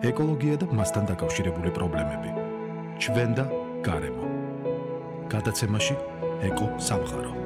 ეკოლოგია და მასთან დაკავშირებული პრობლემები. ჩვენ და გარემო. გადაცემაში ეკო სამყარო.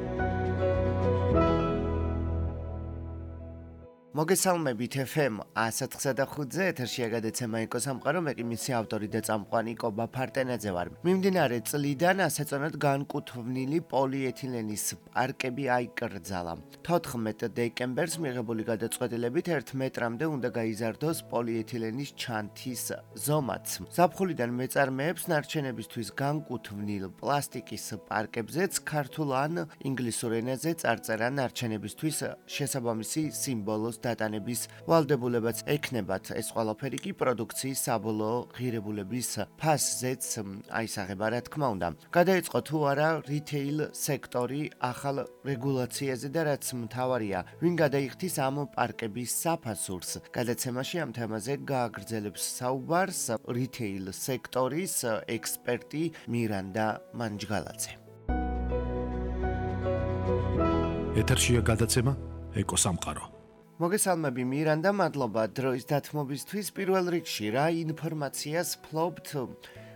მოგესალმებით FM 104.5-ზე ეთერშია გადაცემა ეკო სამყარო, მე კი მისი ავტორი და წამყვანი კობა ფარტენაძე ვარ. მიმდინარე წლიდან ასეწონად განკუთვნილი პოლიეთილენის პარკები აიკრძალა. 14 დეკემბერს მიღებული გადაწყვეტილებით 1 მეტრამდე უნდა გაიზარდოს პოლიეთილენის ჩანთის ზომაც. ზაფხულიდან მეწარმეებს ნარჩენებისთვის განკუთვნილ პლასტიკის პარკებზეც ქართულ ან ინგლისურ ენაზე წარწერა ნარჩენებისთვის შესაბამისი სიმბოლოს დატანების ვალდებულებაც ექნებათ. ეს ყველაფერი კი პროდუქციის საბოლოო ღირებულების ფასზეც აისაღება, რა თქმა უნდა. გადაიწყო თუ არა რითეილ სექტორი ახალ რეგულაციაზე და რაც მთავარია, ვინ გადაიხდის ამ პარკების საფასურს. გადაცემაში ამ თემაზე გააგრძელებს საუბარს რითეილ სექტორის ექსპერტი მირანდა მანჯგალაძე. ეთერშია გადაცემა ეკო სამყარო. მოგესალმები მირანდა, მადლობა დროის დათმობისთვის. პირველ რიგში რა ინფორმაციას ფლობთ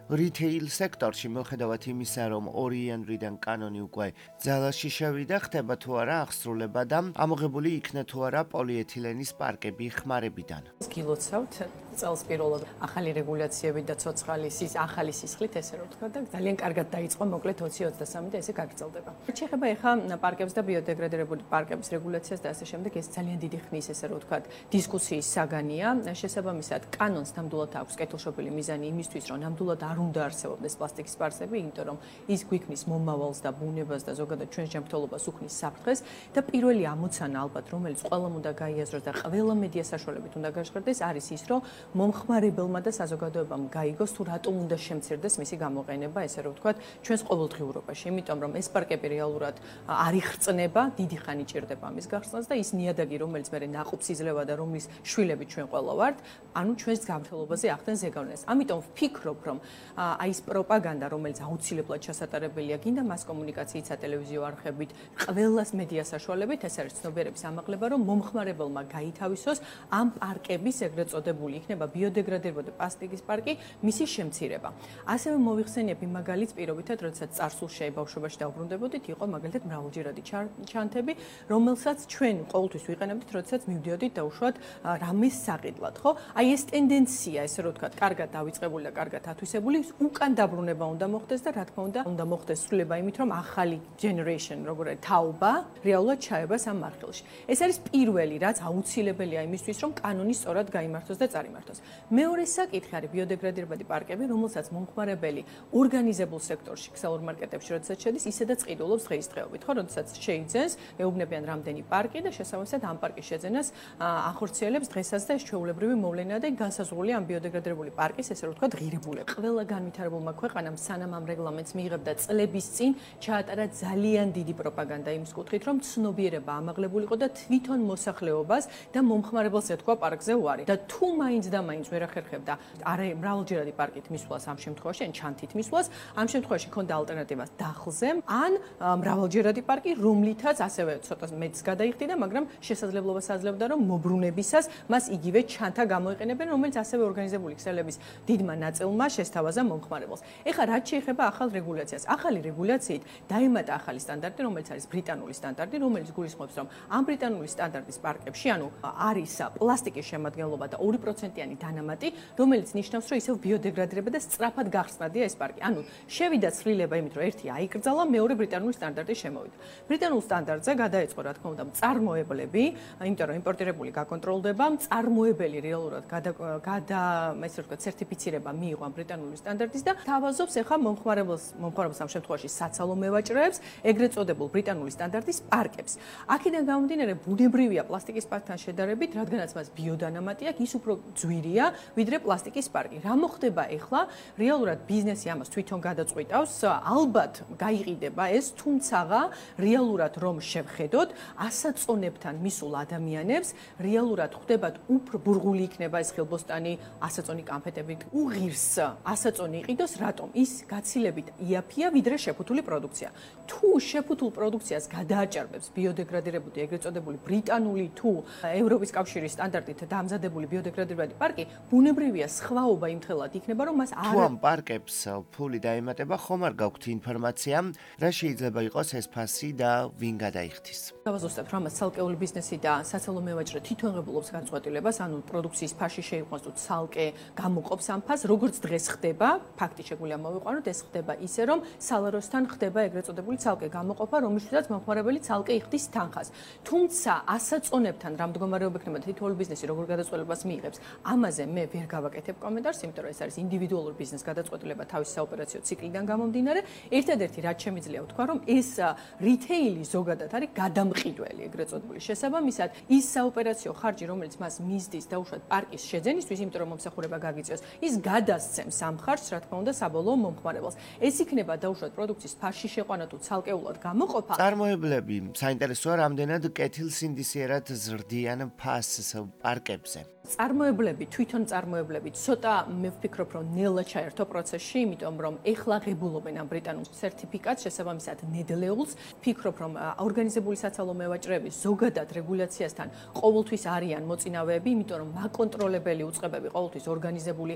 რითეილ სექტორში, მიუხედავად იმისა, რომ 2 იანვრიდან კანონი უკვე ძალაში შევიდა, ხდება თუ არა აღსრულება და ამოღებული იქნა თუ არა პოლიეთილენის პარკები ხმარებიდან. გილოცავთ წელს პირველად ახალი რეგულაციები და ცოცხალი ახალი სისხლით, ესე რომ ვთქვა და ძალიან კარგად დაიწყო მოკლედ 2023 და ესე გაგრძელდება. შეეხება ეხა პარკებს და ბიოდეგრადირებული პარკების რეგულაციას და ასე შემდეგ, ეს ძალიან დიდი ხნის ესე რომ ვთქვა დისკუსიის საგანია. შესაბამისად, კანონს ნამდვილად აქვს კეთილშობილი მიზანი იმისთვის, რომ ნამდვილად არ უნდა არსებობდეს პლასტიკის პარკები, იმიტომ რომ ის გვიქმნის მომავალს და ბუნებას და ზოგადად ჩვენს ჯანმრთელობას უქმნის საფრთხეს და პირველი ამოცანა ალბათ, რომელიც ყველამ უნდა გაიაზროს და ყველა მედია საშუალებით უნდა გაჟღერდეს, არის ის, რომ მომხმარებელმა და საზოგადოებამ გაიგოს თუ რატომ უნდა შემცირდეს მისი გამოყენება, ესე რომ ვთქვათ, ჩვენს ყოველდღიურობაში, იმიტომ რომ ეს პარკები რეალურად არ იხრწნება, დიდი ხანი ჭირდება ამის გახსნას და ის ნიადაგი, რომელიც მე ნაყოფს იძლევა და რომლის შვილები ჩვენ ყველა ვართ, ანუ ჩვენს ჯანმრთელობაზე ახდენს ზეგავლენას. ამიტომ ვფიქრობ, რომ აი ეს პროპაგანდა, რომელიც აუცილებლად ჩასატარებელია, გინდა მას კომუნიკაციით, სატელევიზიო არხებით, ყველას მედია საშუალებით, ეს არის ცნობიერების ამაღლება, რომ მომხმარებელმა გაითავისოს ამ პარკების ეგრეთ წოდებული იქნება ბიოდეგრადირებული პლასტიკის პარკი, მისი შემცირება. ასევე მოიხსენიებ იმ მაგალითს პირობითად, როდესაც წარსულში ბავშვობაში დაუბრუნდებოდით, იყო მაგალითად მრავალჯერადი ჩანთები, რომელსაც ჩვენ ყოველთვის ვიყენებდით, როდესაც მივდიოდით დაუშვათ რამეს საყიდლად, ხო? აი ეს ტენდენცია, ესე რომ ვთქვათ, კარგად დავიწყებული და კარგად ათვისებული, უკან დაბრუნება უნდა მოხდეს და რა თქმა უნდა მოხდეს სრულება იმით, რომ ახალი generation, როგორც თაობა, რეალურად ჩაება ამ მარხილში. ეს არის პირველი, რაც აუცილებელია იმისთვის, რომ კანონი სწორად გაიმართოს და წარიმართოს. მეორე საკითხი არის ბიოდეგრადირებული პარკები, რომელსაც მომხმარებელი ორგანიზებულ სექტორში, ქსელურ მარკეტებში, როდესაც შედის, ისედაც ყიდულობს დღეისდღეობით, ხო, როდესაც შეიძენს, ეუბნებიან რამდენი პარკი და შესაბამისად ამ პარკის შეძენას ახორციელებს დღესაც და ეს ჩვეულებრივი მოვლენაა და განსაზღვრულია ამ ბიოდეგრადირებული პარკის, ესე რომ ვთქვათ, ღირებულება. ყველა განვითარებულმა ქვეყანამ სანამ ამ რეგლამენტს მიიღებდა წლების წინ ჩაატარა ძალიან დიდი პროპაგანდა იმის კუთხით, რომ ცნობიერება ამაღლებულიყო და თვითონ მოსახლეობას და მომხმარებელს ეთქვა პარკზე უარი. და თუ მაინც და მაინც ვერ ახერხებდა არა მრავალჯერადი პარკით მისვლას ამ შემთხვევაში, ან ჩანთით მისვლას, ამ შემთხვევაში ქონდა ალტერნატივას დახლზე, ან მრავალჯერადი პარკი, რომლითაც ასევე ცოტა მეტს გადაიხდიდა, მაგრამ შესაძლებლობას აძლევდა, რომ მობრუნებისას მას იგივე ჩანთა გამოიყენებენ, რომელიც ასევე ორგანიზებული ქსელების დიდმა ნაწილმა შესთავაზა მომხმარებელს. ეხლა რაც შეეხება ახალ რეგულაციას. ახალი რეგულაციით დაემატა ახალი სტანდარტი, რომელიც არის ბრიტანული სტანდარტი, რომელიც გულისხმობს, რომ ამ ბრიტანული სტანდარტის პარკებში, ანუ არის პლასტიკის შემადგენლობა და 2%-იანი დანამატი, რომელიც ნიშნავს, რომ ისევ ბიოდეგრადირება და სწრაფად გახსნადია ეს პარკი. ანუ შევიდა ცვლილება იმით, რომ ერთი აიკრძალა, მეორე ბრიტანული სტანდარტი შემოვიდა. ბრიტანულ სტანდარტზე გადაეწყო, რა თქმა უნდა, მწარმოებლები, იმიტომ რომ იმპორტირებული გაკონტროლდება, მწარმოებელი რეალურად ესე ვთქვათ, სერტიფიცირება მიიღო ამ ბრიტანული სტანდარტის და თავაზობს ახლა მომხმარებელს ამ შემთხვევაში საცალო მევაჭრეებს, ეგრეთ წოდებულ ბრიტანული სტანდარტის პარკებს. აქედან გამომდინარე, ბუნებრივია პლასტიკის პარკთან შედარებით, რადგანაც მას ბიოდანამატი აქვს, ის უფრო ძვირია, ვიდრე პლასტიკის პარკი. რა მოხდება ახლა? რეალურად ბიზნესი ამას თვითონ გადაწყვიტავს, ალბათ გაიყიდება ეს, თუმცა რეალურად რომ შევხედოთ, ასაწონებთან მისულ ადამიანებს რეალურად ხვდებათ უფრო ბურღული იქნება ეს ხილბოსტანი, ასაწონი კანფეტები, უღირს ასაწონი იყიდოს, რატომ? ის გაცილებით იაფია, ვიდრე შეფუთული პროდუქცია. თუ შეფუთულ პროდუქციას გადააჭარბებს ბიოდეგრადირებული, ეგრეთ წოდებული ბრიტანული თუ ევროპის კავშირის სტანდარტით დამზადებული ბიოდეგრადირებული პარკი, ბუნებრივია სხვაობა იმხელად იქნება, რომ მას თუ ამ პარკებს ფული დაემატება, ხომ არ გაქვთ ინფორმაცია, რა შეიძლება იყოს ეს ფასი და ვინ გადაიხდის? გავაზუსტებთ, რომ ცალკეული ბიზნესი და საცალო მევაჭრე თვითონ ღებულობს გადაწყვეტილებას, ანუ პროდუქციის ფასი შეიყვანოს თუ ცალკე გამოყოფს ამ ფასს, როგორც დღეს ხდება, ფაქტი შეგვიძლია მოვიყვანოთ, ეს ხდება ისე, რომ სალაროსთან ხდება ეგრეთ წოდებული ცალკე გამოყოფა, რომელშიც მომხმარებელი ცალკე იხდის თანხას. თუმცა ასაწონებთან რა მდგომარეობა იქნება თითოეული ბიზნესი როგორ გადაწყვეტილებას მიიღებს, ამაზე მე ვერ გავაკეთებ კომენტარს, იმიტომ რომ ეს არის ინდივიდუალური ბიზნეს გადაწყვეტილება თავის საოპერაციო ციკლიდან გამომდინარე. ერთადერთი რაც შემიძლია ვთქვა, რომ ეს რითეილი ზოგადად არის გადამყიდველი ეგრეთ წოდებული. შესაბამისად, ის საოპერაციო ხარჯი, რომელიც მას მისდის დაუშვათ პარკის შეძენისთვის, იმიტომ რომ მომსახურება გაგიწევს, ის გადასცემს ამ ხარჯს, რა თქმა უნდა, საბოლოო მომხმარებელს. ეს იქნება დაუშვათ პროდუქციის ფასში შეყვანა თუ ცალკეულად გამოყოფა. წარმოებლები საინტერესოა, რამდენად კეთილსინდისიერად ზრდიან ფასს პარკებზე. თვითონ წარმოებლები ცოტა მე ვფიქრობ, რომ ნელა ჩაერთო პროცესში, იმიტომ რომ ეხლა ღებულობენ ამ ბრიტანულ სერტიფიკატს, შესაბამისად ნედლეულს. ვფიქრობ, რომ ორგანიზებული საცალო მევაჭრეები ზოგადად რეგულაციასთან ყოველთვის არიან მოწინავეები, იმიტომ რომ მაკონტროლებელი უწყებები ყოველთვის ორგანიზებული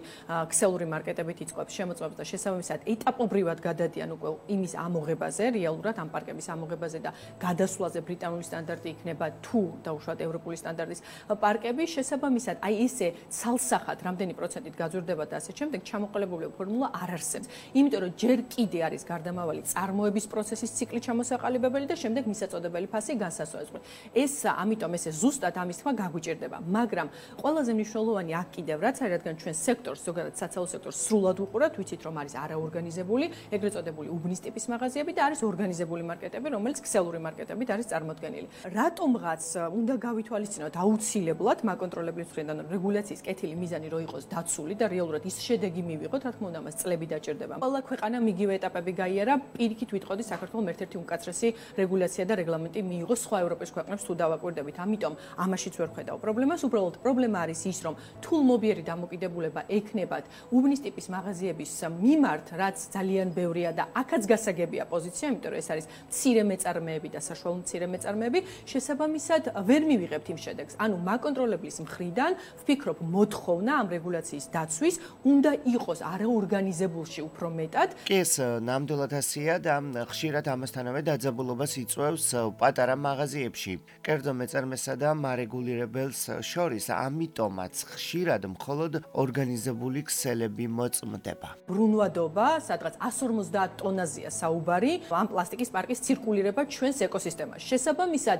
ქსელური მარკეტებით იწყებს შემოწმებას და შესაბამისად ეტაპობრივად გადადიან უკვე იმის ამოღებაზე, რეალურად ამ პარკების ამოღებაზე და გადასვლაზე ბრიტანული სტანდარტი იქნება თუ დაუშვათ ევროპული სტანდარტის პარკები, შესაბამისად აი ესე ცალსახად რამდენი პროცენტით გაზრდება და ასე შემდეგ ჩამოყალიბებული ფორმულა არ არსებობს. იმიტომ რომ ჯერ კიდე არის გარდამავალი წარმოების პროცესის ციკლი ჩამოსაყალიბებელი და შემდეგ მისაწოდებელი ფასი განსასწორებელი. ეს ამიტომ ესე ზუსტად ამის თქმა გაგვიჭირდება, მაგრამ ყველაზე მნიშვნელოვანი აქ კიდევ რაც არის, რადგან ჩვენ სექტორს, ზოგადად საცალო სექტორს სრულად უყურებთ, ვიცით რომ არის არაორგანიზებული, ეგრეთ წოდებული უბნის ტიპის მაღაზიები და არის ორგანიზებული მარკეტები, რომელიც ქსელური მარკეტებით არის წარმოდგენილი. რატომღაც უნდა გავითვალისწინოთ აუცილებლად მაკონტროლებლის მხრიდან რეგულაციის კეთილი მიზანი რო იყოს დაცული და რეალურად ის შედეგი მივიღოთ, რა თქმა უნდა, მას წლები დაჭირდება. ყველა ქვეყანა მიგივე ეტაპები გაიარა, პირიქით ვიტყოდი საქართველოს ერთ-ერთი უკაცრესი რეგულაცია და რეგლამენტი მიიღო სხვა ევროპის ქვეყნებს თუ დავაკვირდებით. ამიტომ ამაშიც ვერ ხედავ პრობლემას, უბრალოდ პრობლემა არის ის, რომ თულმობიერი დამოკიდებულება ექნებათ უბნის ტიპის მაღაზიების მიმართ, რაც ძალიან ბევრია და აქაც გასაგებია პოზიცია, იმიტომ რომ ეს არის მცირე მეწარმეები და საშუალო მცირე მეწარმეები, შესაბამისად ვერ მივიღებთ იმ შედეგს. ანუ მაკონტროლებლის მხრიდან ვფიქრობ, მოთხოვნა ამ რეგულაციის დაცვის უნდა იყოს არაორგანიზებულში უფრო მეტად. კი, ეს ნამდვილად ასეა და ხშირად ამასთანავე დაძაბულობას იწვევს პატარა მაღაზიებში, კერძო მეწარმესა და მარეგულირებელს შორის, ამიტომაც ხშირად მხოლოდ ორგანიზებული ქსელები მოწმდება. ბრუნვადობა, სადღაც 150 ტონაზეა საუბარი, ამ პლასტიკის პარკის ცირკულირება ჩვენს ეკოსისტემაში. შესაბამისად,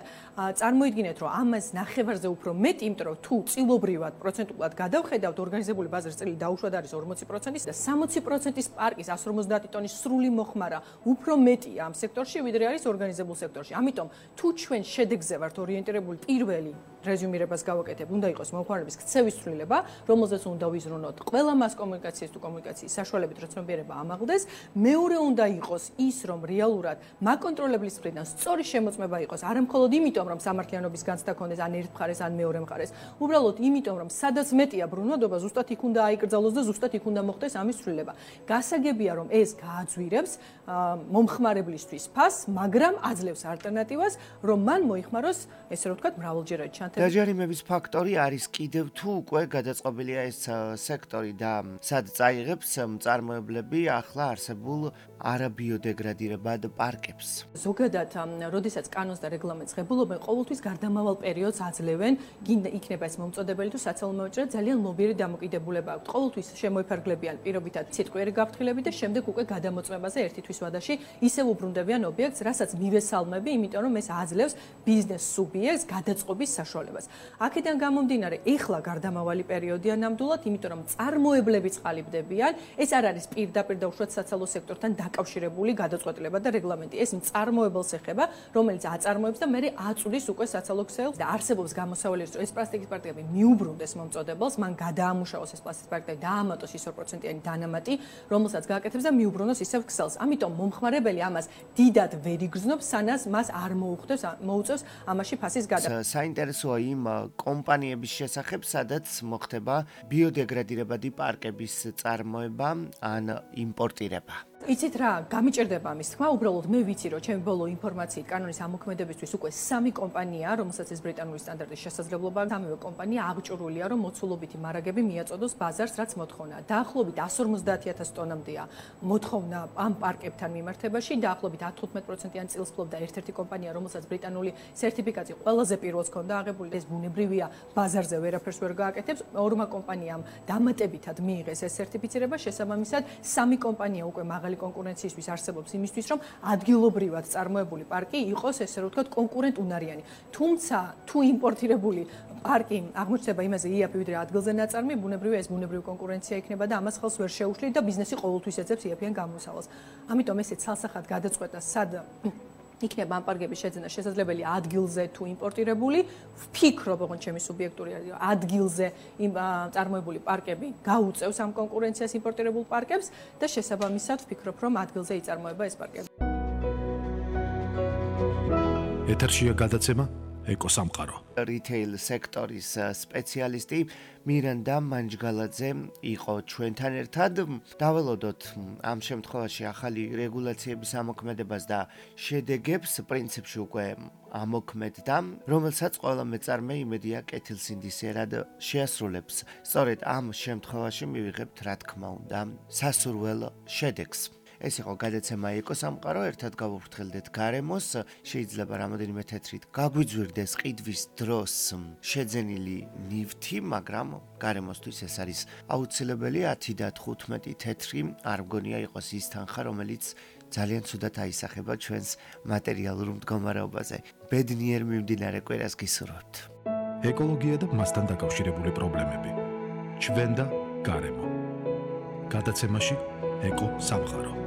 წარმოიდგინეთ, რომ ამას ნახევარზე უფრო მეტი, იმიტომ რომ თუ წილობრივად პროცენტულად გადავხედავთ, ორგანიზებული ბაზრის წილი დაუშვად არის 40% და 60%-ის პარკის 150 ტონის სრული მოხმარა უფრო მეტია ამ სექტორში, ვიდრე არის ორგანიზებულ სექტორში. ამიტომ თუ ჩვენ შედეგზე ვართ ორიენტირებული, პირველი რეზუმირებას გავაკეთებ, უნდა იყოს მომხმარების ქცევის ცვლილება, რომელზეც უნდა ვიზრუნოთ ყველა მას კომუნიკაციის თუ კომუნიკაციის საშუალებით, რომ ცნობიერება ამაღლდეს. მეორე უნდა იყოს ის, რომ რეალურად მაკონტროლებლის მხრიდან სწორი შემოწმება იყოს, არა მხოლოდ იმიტომ, რომ სამართლიანობის განცდა ქონდეს ან ერთ მხარეს, ან მეორე მხარეს, უბრალოდ იმიტომ, რომ სადაც მეტია ბრუნვადობა, ზუსტად იქ უნდა აიკრძალოს და ზუსტად იქ უნდა მოხდეს ამის ცვლილება. გასაგებია, რომ ეს გააძვირებს მომხმარებლისთვის ფასს, მაგრამ აძლევს ალტერნატივას, რომ მან მოიხმაროს, ესე რომ ვთქვათ, მრავალჯერადი ჩანთები. დაჯარიმების ფაქტორი არის კიდევ თუ უკვე გადაწყობილია ეს სექტორი და სად წაიღებს მწარმოებლები ახლა არსებულ არაბიოდეგრადირებად პარკებს. ზოგადად, როდესაც კანონს და რეგლამენტს ღებულობენ, ყოველთვის გარდამავალ პერიოდს აძლევენ, გინდა იქნება ეს მომწოდებელი თუ საცალო მევაჭრე, ძალიან მობიერი დამოკიდებულება აქვთ. ყოველთვის შემოიფარგლებიან პირობითად სიტყვიერი გაფრთხილები და შემდეგ უკვე გადამოწმებაზე ერთი თვის ვადაში ისევ უბრუნდებიან ობიექტს, რასაც მივესალმები, იმიტომ რომ ეს აძლევს ბიზნეს სუბიექტს გადაწყობის საშუალებას. აქედან გამომდინარე, ეხლა გარდამავალი პერიოდია ნამდვილად, იმიტომ რომ წარმოებლები წყალიბდებიან, ეს არ არის პირდაპირ და უშუალოდ საცალო სექტორთან დაკავშირებული გადაწყვეტილება და რეგლამენტი. ეს მწარმოებელს ეხება, რომელიც აწარმოებს და მერე აწვდის უკვე საცალო ქსელს და არსებობს გამოსავალი, რომ ეს პლასტიკის პარკები მიუბრუნდეს მომწოდებელს, მან გადაამუშავოს ეს პლასტიკის პარკი და დაამატოს ის 2%-იანი დანამატი, რომელსაც გააკეთებს და მიუბრუნოს ისევ ქსელს. ამიტომ მომხმარებელი ამას დიდად ვერ იგრძნობს, სანამ მას არ მოუწევს ამაში ფასის გადაყენება. საინტერესოა იმ კომპანიების შესახებ, სადაც მოხდება ბიოდეგრადირებადი პარკების წარმოება ან იმპორტირება. იცით რა, გამიჭირდება ამის თქმა, უბრალოდ მე ვიცი, რომ ჩემი ბოლო ინფორმაციით კანონის ამოქმედებისთვის უკვე 3 კომპანიაა, რომელსაც ეს ბრიტანული სტანდარტის შესაძლებლობა, სამივე კომპანია აღჭურვილია, რომ მოცულობითი მარაგები მიაწოდოს ბაზარს, რაც მოთხოვნა. დაახლოებით 150,000 ტონამდეა მოთხოვნა ამ პარკებთან მიმართებაში, დაახლოებით 15%-იან წილს ფლობდა ერთ-ერთი კომპანია, რომელსაც ბრიტანული სერტიფიკაცია ყველაზე პირველს ჰქონდა აღებული. ეს ბუნებრივია, ბაზარზე ვერაფერს ვერ გააკეთებს. ორმა კომპანიამ დამატებითად მიიღეს ეს სერტიფიცირება, შესაბამისად 3 კომპანია უკვე მაღალი კონკურენციისთვის არსებობს იმისთვის, რომ ადგილობრივად წარმოებული პარკი იყოს, ესე რომ ვთქვათ, კონკურენტუნარიანი. თუმცა, თუ იმპორტირებული პარკი აღმოჩნდება იმაზე იაფი, ვიდრე ადგილზე ნაწარმი, ბუნებრივია ეს ბუნებრივი კონკურენცია იქნება და ამას ხელს ვერ შეუშლით და ბიზნესი ყოველთვის ეძებს იაფიან გამოსავალს. ამიტომ ესე ცალსახად გადაწყვეტა, სად იქნება ამ პარკების შეძენა შესაძლებელი ადგილზე თუ იმპორტირებული. ვფიქრობ, ოღონდ ჩემი სუბიექტური ადგილზე წარმოებული პარკები გაუწევს ამ კონკურენციას იმპორტირებულ პარკებს და შესაბამისად ვფიქრობ, რომ ადგილზე იწარმოება ეს პარკები. ეთერშია გადაცემა ეკოსამყარო. რიტეილ სექტორის სპეციალისტი მირანდა მანჯგალაძე იყო ჩვენთან ერთად. დაველოდოთ ამ შემთხვევაში ახალი რეგულაციების ამოქმედებას და შედეგებს, პრინციპში უკვე ამოქმედდა, რომელსაც ყველა მეწარმე იმედია კეთილსინდისერად შეასრულებს. სწორედ ამ შემთხვევაში მივიღებთ, რა თქმა უნდა, სასურველ შედეგს. ეს იყო გადაცემა ეკოსამყარო, ერთად გავუფრთხილდეთ გარემოს, შეიძლება რამოდენიმე თეთრით გაგვიძვირდეს ყიდვის დროს შეძენილი ნივთი, მაგრამ გარემოსთვის ეს არის აუცილებელი 10 და 15 თეთრი არ მგონია იყოს ის თანხა, რომელიც ძალიან ცუდად აისახება ჩვენს მატერიალურ მდგომარეობაზე. ბედნიერ მიმდინარე კვირას გისურვებთ. ეკოლოგია და მასთან დაკავშირებული პრობლემები. ჩვენ და გარემო. გადაცემაში ეკოსამყარო.